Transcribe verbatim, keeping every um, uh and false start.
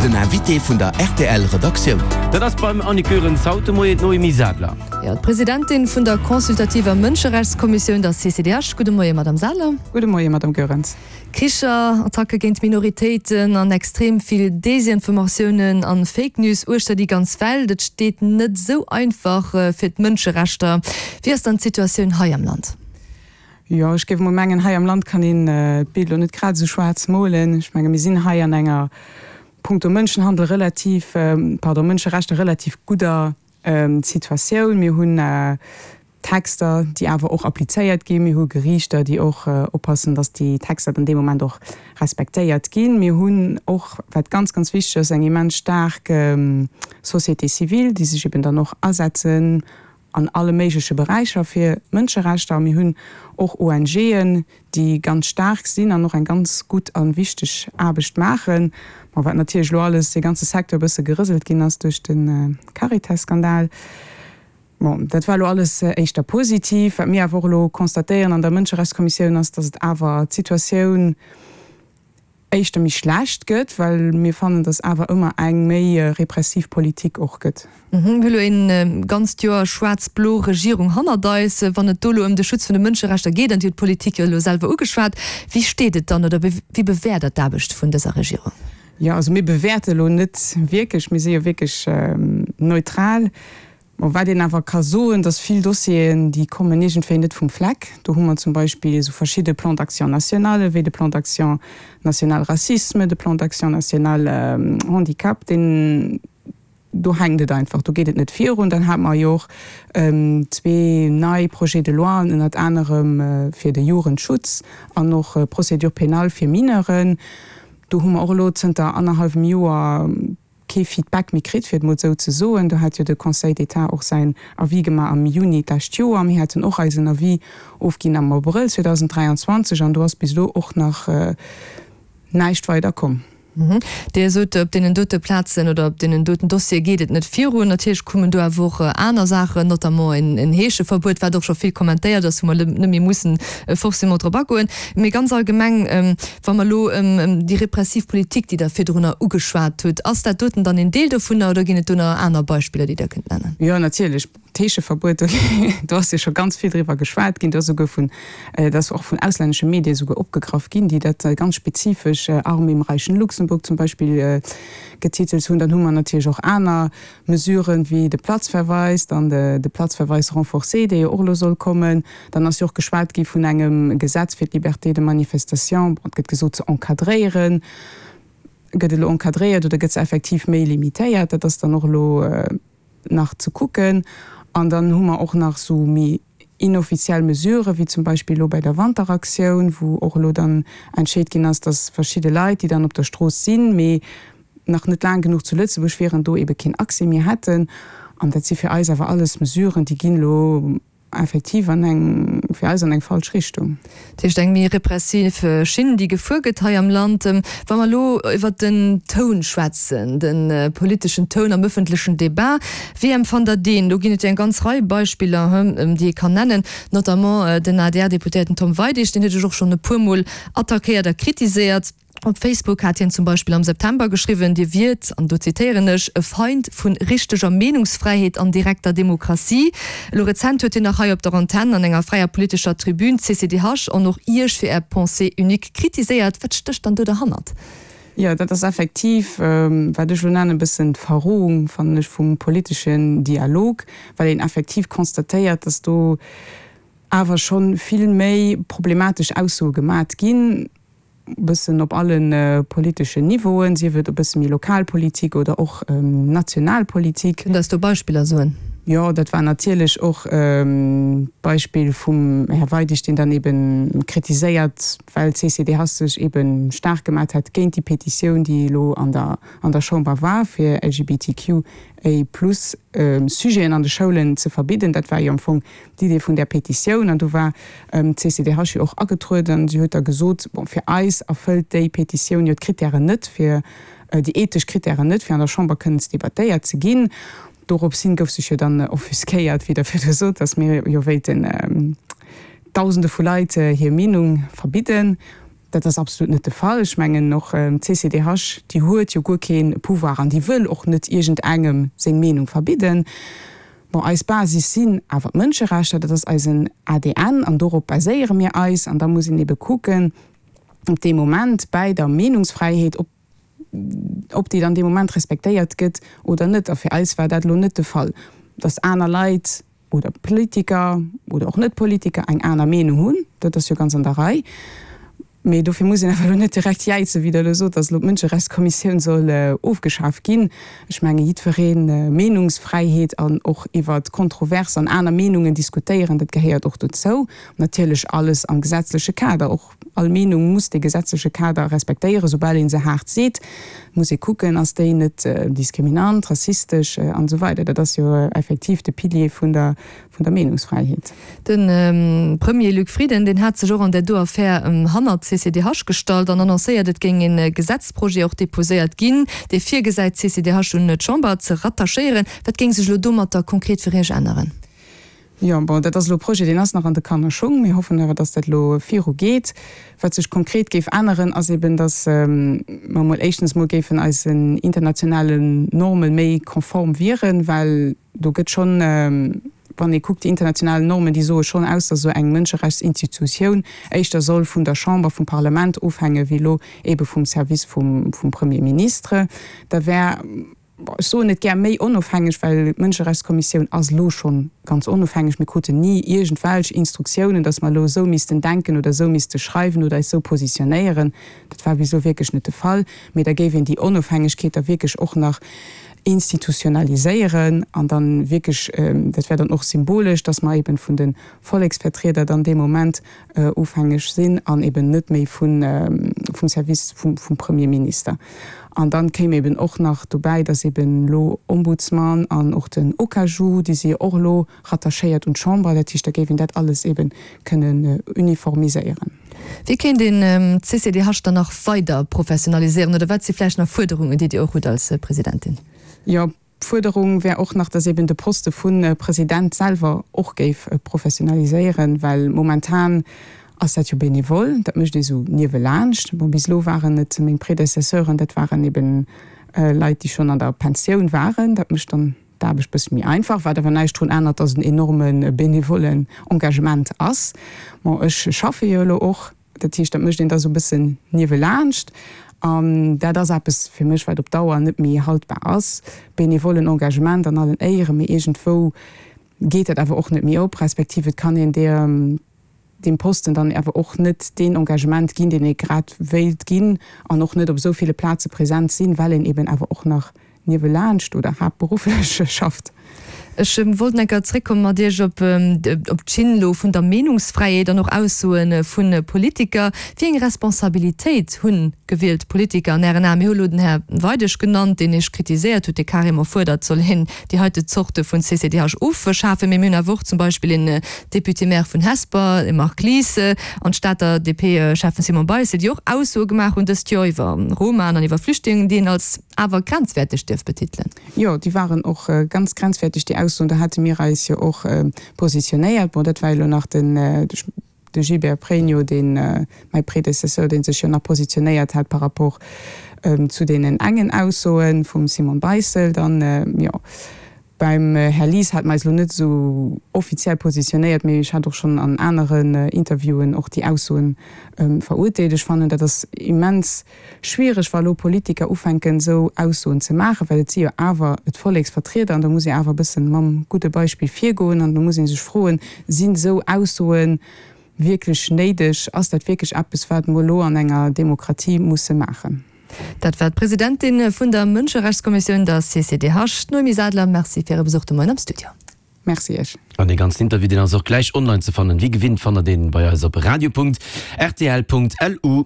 Den Invité vun der R T L Redaktioun. Dat ass beim Annick Goerens haut de Moien d'Noémie Sadler. Ja, d'Presidentin vun der consultativer Mënscherechtskommissioun, der C C D H. Gudde Moien, Madame Sadler. Gudde Moien, Madame Goerens. Kricher, Attacke géint Minoritéiten an extrem vill Desinformatiounen an Fake News uechter déi ganz Welt. Et steet net sou einfach äh, fir d'Mënscherechter. Wéi ass dann d'Situatioun hei am Land? Jo, ech géif mol mengen, hei am Land kann een äh, d'Bild lo net grad sou schwaarz molen. Ech menge mir sinn hei an enger punkto Mënschenhandel relativ ähm, pardon, Mënscherechter relativ gudder ähm, Situatioun. Mir hunn äh, Texter, déi awer och applizéiert ginn. Mir hu Geriichter, déi och äh, oppassen, dass déi Texter an deem Moment och respektéiert ginn. Mir hunn och, wat ganz ganz wichteg ass, eng immens staark ähm, Société civile, déi sech eben dann och asetzen an alle méigleche Beräicher fir Mënscherechter. Mir hunn och O N Gen, déi ganz staark sinn an och eng ganz gutt a wichteg Aarbecht maachen. Ma wat natierlech lo alles de ganze Secteur bësse gerëselt ginn ass duerch den äh, Caritas-Skandal. Bon, dat war lo alles äh, éischter positiv. Wat mir awer och lo constatéieren an der Mënscherechtskommissioun ass, dass et awer d'Situatioun éischter méi schlecht gëtt, well mir fannen, dass awer ëmmer eng méi äh, repressiv Politik och gëtt. Mhm, mir hu lo een ähm, ganzt Joer schwaarz-blo Regierung hannert eis. Wann et do lo ëm de Schutz vun de Mënscherechter geet, an Dir hutt d'Politik jo lo selwer ugeschwat, wéi steet et dann oder wéi bewäert Der d'Aarbecht vun dëser Regierung? Ja, also mir bewäerte lo net wierklech, mir si jo wierklech ähm, neutral. Ma wat een awer ka soen, dass vill Dossieren, déi kommen iergendwéi net vum Fleck. Do hu mer zum Beispill sou verschidde Plans d'action national, wéi de Plan d'action national Racisme, de Plan d'action national ähm, Handicap, deen do hänkt et einfach, do geet et net virun. Dann hate mer jo och ähm, zwee nei Projets de loi, ënnert anerem äh, fir de Jugendschutz an och äh, Procédure pénale fir Mineuren. Do hu mer och lo zënter annerhallwem Joer kee Feedback méi kritt, fir et mol sou ze soen. Do hat jo de Conseil d'État och säin Avis gemaach am Juni d'lescht Joer. Mir haten och eisen Avis ofginn am Abrëll zweedausend dräianzwanzeg an do ass bis elo och nach äh, näischt weider komm. Mhm. Dir sot, op deenen dote Plazen oder op deenen doten Dossiere geet et net virun. Natierlech kommen do awer och äh, aner Saachen, notamment en, en Heescheverbuet, wat och scho vill kommentéiert ass, wou mer net méi mussen äh, forcément drop agoen. Mee ganz allgemeng, ähm, wa mer lo ähm, ähm, déi repressiv Politik, déi Der virdrunner ugeschwat hutt, ass dat doten dann en Deel dovunner oder ginn et do nach aner Beispiller, déi Der kënnt nennen? Jo, natierlech. D'Heescheverbuet, do ass jo scho ganz vill driwwer geschwat ginn, do ass souguer vun, äh, dat ass och vun auslännesche Medie souguer opgegraff ginn, déi dat äh, ganz spezifesch äh, Arm im reichen Luxemburg zum Beispill äh, getitelt hunn. Dann hu mer natierlech och aner Mesuren wéi de Platzverweis, dann de, de Platzverweis renforcé, dee jo och lo soll kommen. Dann ass jo och geschwat gi vun engem Gesetz fir d'Liberté de manifestation, et gëtt gesot ze encadréieren. Gëtt et lo encadréiert oder gëtt se effektiv méi limitéiert? Dat ass dann och lo äh, nach ze kucken. An dann hu mer och nach sou méi inoffiziell Mesurë wéi zum Beispill lo bei der Wanteraktioun, wou och lo dann entscheet ginn ass, dass verschidde Leit, déi dann op der Strooss sinn, mee nach net laang genuch zu Lëtzebuerg wieren, do ebe keen Accès méi hätten. An dat si fir eis awer alles Mesuren, déi ginn lo effektiv an eng fir eis an eng falsch Richtung. Dat heescht eng méi repressiv äh, Schinn, déi gefuer gëtt hei am Land. Ähm, wa mer lo iwwer den Toun schwätzen, den äh, politeschen Toun am ëffentlechen Debat, wéi empfannt Der deen? Do ginn et jo eng ganz Rei Beispiller, hm, ähm, déi ee kann nennen, notamment äh, den A D R-Deputéierten Tom Weidig, deen huet Iech och schonn e puermol attackéiert a kritiséiert. Op Facebook hat hien zum Beispill am September geschriwwen, Dir wiert, an do zitéieren ech, e Feind vun richteger Meenungsfräiheet an direkter Demokratie. Elo rezent huet hien nach hei op der Antenn an enger fräier politescher Tribün d'C C D H an och Iech fir Är Pensée unique kritiséiert. Wat stécht dann do derhannert? Jo, dat ass effektiv, wat ech elo nennen, e bëssen d'Verrohung, fannen ech, vum politeschen Dialog, well een effektiv constatéiert, dass do awer schonn vill méi problematesch Aussoe gemat ginn, bëssen op allen politeschen Niveauen, sief et e bësse méi Lokalpolitik oder och Nationalpolitik. Kënnt Der eis do Beispiller soen? Jo, dat war natierlech och d'Beispill vum Här Weidig, deen dann eben kritiséiert, well d'C C D H sech eben staark gemat hat géint déi Petitioun, déi elo an der an der Chamber war, fir L G B T Q A plus Sujeten an de Schoulen ze verbidden. Dat war jo am Fong d'Idee vun där Petitioun an do war d'C C D H jo och agetrueden. Si huet da gesot, bon, fir eis erfëllt déi Petitioun jo d'Krittären net, fir déi ethesch Krittären net, fir an der Chamber kënnen ze debattéiert ze ginn. Dorops hin gouf sech jo dann offusquéiert, wéi Der virdru sot, datt mir jo wéilten Dausende vu Leit hir Meenung verbidden. Dat ass absolut net de Fall. Ech mengen och d'CCDH, déi huet jo guer kee Pouvoir an déi wëll och net iergendengem seng Meenung verbidden. Bon, eis Basis sinn awer d'Mënscherechter, dat ass eisen ADN an dorop baséiere mir eis. An da muss een ebe kucken, ob dee Moment bäi der Meenungsfräiheet, ob ob déi dann dee Moment respektéiert gëtt oder net. A fir eis war dat elo net de Fall, dass aner Leit oder Politiker oder och Net-Politiker eng aner Meenung hunn, dat ass jo ganz an der Rei. Mee dofir muss een awer elo net direkt jäizen, wéi Der elo sot, dass elo d'Mënscherechtskommissioun soll ofgeschaf ginn. Ech menge jiddweree Meenungsfräiheet an och iwwer kontrovers an aner Meenungen diskutéieren, dat gehéiert och dozou. Natierlech alles am gesetzleche Kader. Och all Meenung muss dee gesetzleche Kader respektéieren. Soubal ee se haart seet, muss ee kucken, ass déi net diskriminant, rassistesch an esou weider. Dat ass jo effektiv de Pilier vun der vun der Meenungsfräiheet. De Premier Luc Frieden, deen hat sech och an där do Affär hannert d'CCDH gestallt an annoncéiert, et géing e Gesetzprojet och deposéiert ginn, dee virgesäit, d'CCDH un d'Chamber ze rattachéieren. Wat géing sech elo domatter konkret fir Iech änneren? Jo, bon, dat ass elo e Projet, deen ass nach an de Kannerschung. Mir hoffen awer, datt dat elo viru geet. Wat sech konkret géif änneren, ass eben, datt mer emol éischtens emol géifen eisen internationalen Norme méi konform wieren, well do gëtt schonn, wann ee kuckt, déi international Normen, déi soe schonn aus, datt esou eng Mënscherechtsinstitutioun éischter soll vun der Chamber, vum Parlament ofhänge wéi elo ebe vum Service vum Premier Ministre. Da wär Ech soen net gär méi onofhängeg, well d'Mënscherechtskommissioun ass elo scho ganz onofhängeg. Mir kruten ni iergendwelch Instruktiounen, datt mer elo esou missten denken oder esou misste schreiwen oder eis esou positionéieren. Dat war bis elo wierklech net de Fall. Mee da géif een déi Onofhängegkeet da wierklech och nach institutionaliséieren an dann wierklech, dat wär dann och symbolesch, datt mer eben vun de Volleksvertrieder dann dee Moment ofhängeg sinn an eben net méi vum Service vum Premierminister. An dann kéim eben och nach dobäi, dass eben elo Ombudsman an och den OKAJU, déi si jo och elo rattachéiert un d'Chamber, dat heescht, da géif een dat alles eben kënnen uniformiséieren. Wéi kéint een d'CCDH dann nach weider professionaliséieren oder wat si vläicht nach Fuerderungen, déi Dir och hutt als Presidentin? Jo, d'Fuerderung wär och nach, dass eben de Poste vu President selwer och géif professionaliséieren, well momentan ass dat jo benevol, dat mécht ee sou niewelaanscht. Bon, bis elo waren et meng Predecesseuren, dat waren eben Leit, déi schonn an der Pensioun waren. Dat mécht dann d'Aarbecht bësse méi einfach, wat awer näischt drun ännert, dass et en enorme benevollen Engagement ass. Bon, ech schaffe jo elo och, dat heescht, dat mécht een da sou bëssen niewelaanscht. An dat ass eppes fir mech, wat op Dauer net méi haltbar ass. Benevollen Engagement an allen Éieren, mee iergendwou geet dat awer och net méi op, respektiv et kann een deer, deem Posten dann awer och net deen Engagement ginn, deen ee grad wéilt ginn an och net op esou ville Plaze present sinn, well een eben awer och nach niewelaanscht oder haaptberufflech schafft. Ech wollt enker zréckkomme mat Iech op d'Schinn elo vun der Meenungsfräiheet an och Aussoe vu Politiker. Wéi eng Responsabilitéit hu gewielt Politiker an Ären Aen? Mir hu elo den Här Weidig genannt, deen Iech kritiséiert huet, dee carrément fuerdert, et soll een déi heite Zorte vun CCDH ofschafen. Mee mir hunn awer och zum Beispill een Député-maire vun Hesper, de Marc Lies, an d'Stater D P-Schäffen Simon Beissel, déi och Aussoe gemaach hunn dëst Joer iwwer Romaen an iwwer Flüchtlingen, déi een als awer grenzwäerteg dierf betitelen. Jo, déi waren och ganz grenzwäerteg, déi Aussoen. Do hate mir eis jo och positionéiert. Bon, dat war elo nach den de Gilbert Pregno, deen, mäi Prédécesseur, dee sech jo nach positionéiert hat par rapport zu deenen engen Aussoe vum Simon Beissel. Dann, jo, beim Här Lies hate mer eis elo net esou offiziell positionéiert, mee ech hat och schonn an aneren Interviewen och déi Aussoen verurteelt. Ech fannen, dat ass immens schwiereg, wa lo Politiker ufänken, esou Aussoen ze maachen, well et si jo awer d'Volleksvertrieder an da muss ee awer e bëssen mam gudde Beispill virgoen an da muss ee sech froen, Sinn esou Aussoe wierklech néideg? Ass dat wierklech eppes, wat mer elo an enger Demokratie musse maachen? Dat war d'Presidentin vun der Mënscherechtskommissioun, der C C D H, d'Noémie Sadler. Merci fir Äre Besuch de Moien am Studio. Merci Iech. An dee ganzen Interview, deen ass och gläich online ze fannen. Wéi gewinnt fannt der deen bei eis op radio Punkt rtl Punkt lu.